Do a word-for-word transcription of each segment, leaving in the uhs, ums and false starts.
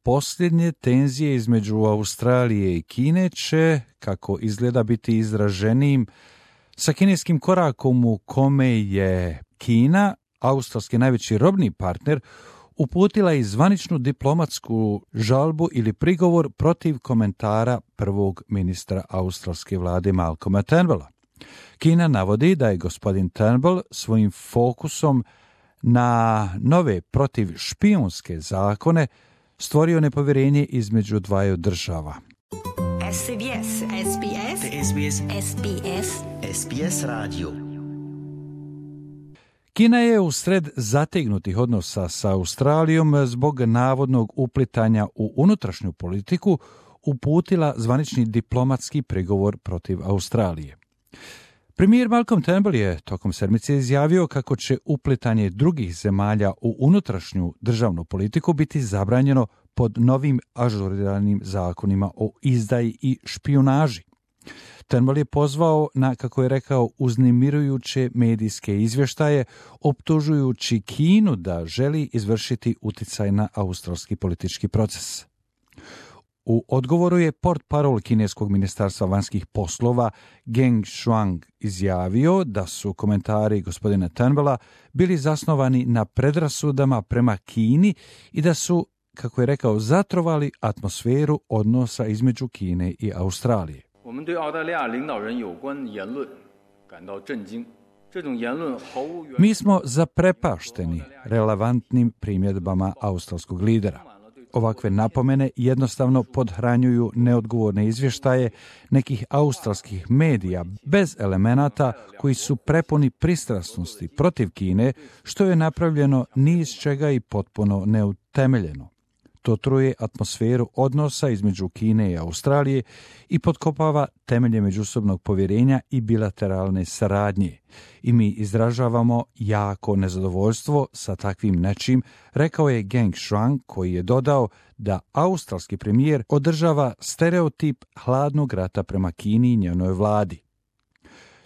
posljednje tenzije između Australije i Kine će, kako izgleda, biti izraženijim sa kineskim korakom u kome je Kina, australski najveći robni partner, uputila i zvaničnu diplomatsku žalbu ili prigovor protiv komentara prvog ministra australske vlade Malcolma Turnbulla. Kina navodi da je gospodin Turnbull svojim fokusom na nove protiv špijunske zakone stvorio nepovjerenje između dvaju država. S B S, S B S, S B S, S B S, S B S radio. Kina je u sred zategnutih odnosa sa Australijom zbog navodnog uplitanja u unutrašnju politiku uputila zvanični diplomatski prigovor protiv Australije. Premijer Malcolm Turnbull je tokom sedmice izjavio kako će uplitanje drugih zemalja u unutrašnju državnu politiku biti zabranjeno pod novim ažuriranim zakonima o izdaji i špijunaži. Turnbull je pozvao na, kako je rekao, uznemirujuće medijske izvještaje, optužujući Kinu da želi izvršiti uticaj na australski politički proces. U odgovoru je portparol kineskog ministarstva vanjskih poslova Geng Shuang izjavio da su komentari gospodina Turnbulla bili zasnovani na predrasudama prema Kini i da su, kako je rekao, zatrovali atmosferu odnosa između Kine i Australije. Mi smo zaprepašteni relevantnim primjedbama australskog lidera. Ovakve napomene jednostavno podhranjuju neodgovorne izvještaje nekih australskih medija bez elemenata koji su prepuni pristrasnosti protiv Kine, što je napravljeno ni iz čega i potpuno neutemeljeno. To truje atmosferu odnosa između Kine i Australije i potkopava temelje međusobnog povjerenja i bilateralne saradnje. I mi izražavamo jako nezadovoljstvo sa takvim nečim, rekao je Geng Shuang, koji je dodao da australski premijer održava stereotip hladnog rata prema Kini i njenoj vladi.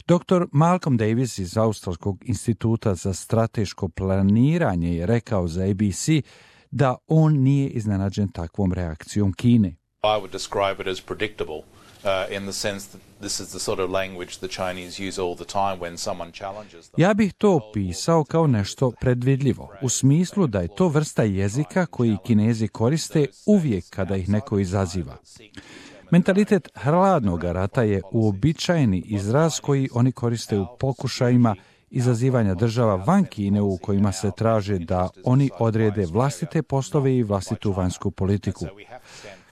doktor Malcolm Davis iz Australskog instituta za strateško planiranje je rekao za A B C da on nije iznenađen takvom reakcijom Kine. I would describe it as predictable uh, in the sense that this is the sort of language the Chinese use all the time when someone challenges them. Ja bih to opisao kao nešto predvidljivo, u smislu da je to vrsta jezika koji Kinezi koriste uvijek kada ih neko izaziva. Mentalitet hladnog rata je uobičajeni izraz koji oni koriste u pokušajima izazivanja država van Kine u kojima se traže da oni odrede vlastite poslove i vlastitu vanjsku politiku.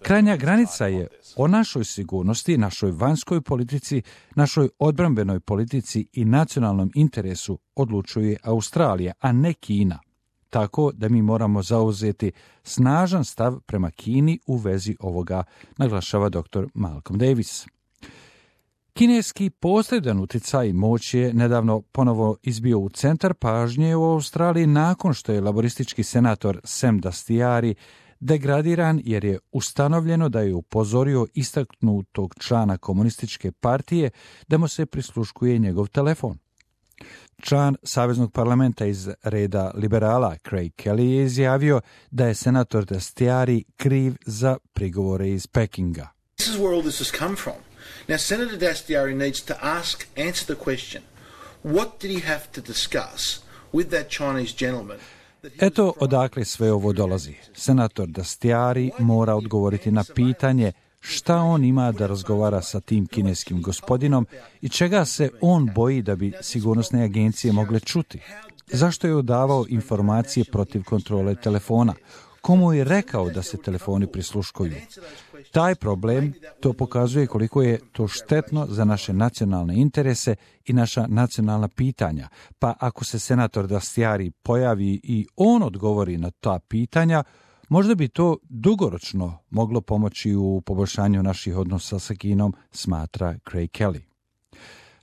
Krajnja granica je o našoj sigurnosti, našoj vanjskoj politici, našoj odbrambenoj politici i nacionalnom interesu odlučuje Australija, a ne Kina. Tako da mi moramo zauzeti snažan stav prema Kini u vezi ovoga, naglašava doktor Malcolm Davis. Kineski posredan utjecaj moć je nedavno ponovo izbio u centar pažnje u Australiji nakon što je laboristički senator Sam Dastyari degradiran jer je ustanovljeno da je upozorio istaknutog člana komunističke partije da mu se prisluškuje njegov telefon. Član Saveznog parlamenta iz reda liberala Craig Kelly je izjavio da je senator Dastyari kriv za prigovore iz Pekinga. This is where all this has come from. Now, Senator Dastyari needs to ask, answer the question, what did he have to discuss with that Chinese gentleman? Eto odakle sve ovo dolazi. Senator Dastyari mora odgovoriti na pitanje šta on ima da razgovara sa tim kineskim gospodinom i čega se on boji da bi sigurnosne agencije mogle čuti. Zašto je odavao informacije protiv kontrole telefona? Komu je rekao da se telefoni prisluškuju? Taj problem to pokazuje koliko je to štetno za naše nacionalne interese i naša nacionalna pitanja. Pa ako se senator Dastyari pojavi i on odgovori na ta pitanja, možda bi to dugoročno moglo pomoći u poboljšanju naših odnosa sa Kinom, smatra Craig Kelly.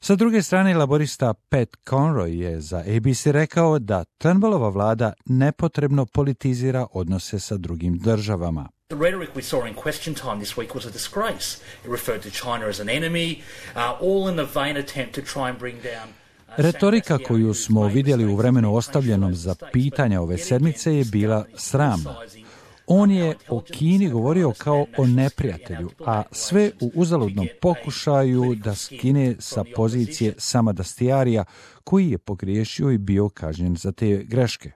Sa druge strane, laborista Pat Conroy je za A B C rekao da Turnbullova vlada nepotrebno politizira odnose sa drugim državama. The rhetoric we saw in question time this week was a disgrace. It referred to China as an enemy, uh, all in the vain attempt to try and bring down. Retorika koju smo vidjeli u vremenu ostavljenom za pitanja ove sedmice je bila sramna. On je o Kini govorio kao o neprijatelju, a sve u uzaludnom pokušaju da skine sa pozicije Samadastijarija, koji je pogriješio i bio kažnjen za te greške.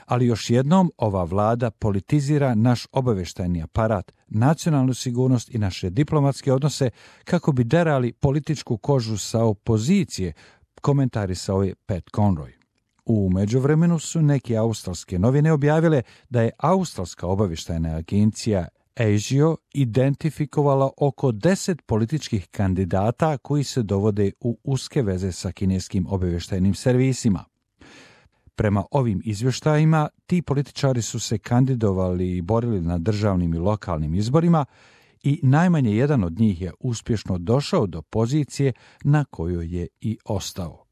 Ali još jednom ova vlada politizira naš obavještajni aparat, nacionalnu sigurnost i naše diplomatske odnose kako bi derali političku kožu sa opozicije, komentarisao je Pat Conroy. U međuvremenu su neke australske novine objavile da je australska obavještajna agencija ASIO identifikovala oko deset političkih kandidata koji se dovode u uske veze sa kineskim obavještajnim servisima. Prema ovim izvještajima, ti političari su se kandidovali i borili na državnim i lokalnim izborima i najmanje jedan od njih je uspješno došao do pozicije na kojoj je i ostao.